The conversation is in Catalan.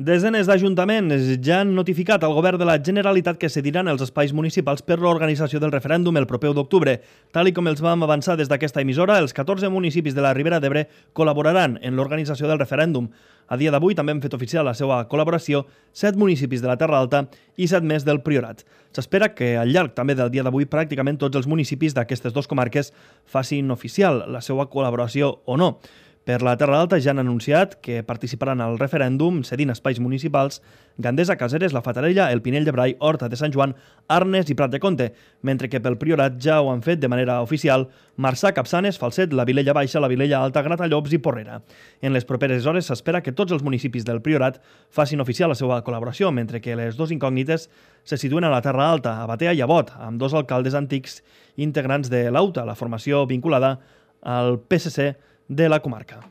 Desenes d'ajuntaments ja han notificat al govern de la Generalitat que cediran els espais municipals per l'organització del referèndum el proper 1 d'octubre. Tal com els vam avançar des d'aquesta emissora, els 14 municipis de la Ribera d'Ebre col·laboraran en l'organització del referèndum. A dia d'avui també han fet oficial la seva col·laboració 7 municipis de la Terra Alta i 7 més del Priorat. S'espera que al llarg també del dia d'avui pràcticament tots els municipis d'aquestes dues comarques facin oficial la seva col·laboració o no. Per la Terra Alta ja han anunciat que participaran al referèndum cedint espais municipals Gandesa, Caseres, La Fatarella, el Pinell de Brai, Horta de Sant Joan, Arnes i Prat de Comte, mentre que pel Priorat ja ho han fet de manera oficial Marçà, Capçanes, Falset, la Vilella Baixa, la Vilella Alta, Gratallops i Porrera. En les properes hores s'espera que tots els municipis del Priorat facin oficial la seva col·laboració, mentre que les dues incògnites se situen a la Terra Alta, a Batea i a Bot, amb dos alcaldes antics integrants de l'AUTA, la formació vinculada al PSC de la comarca.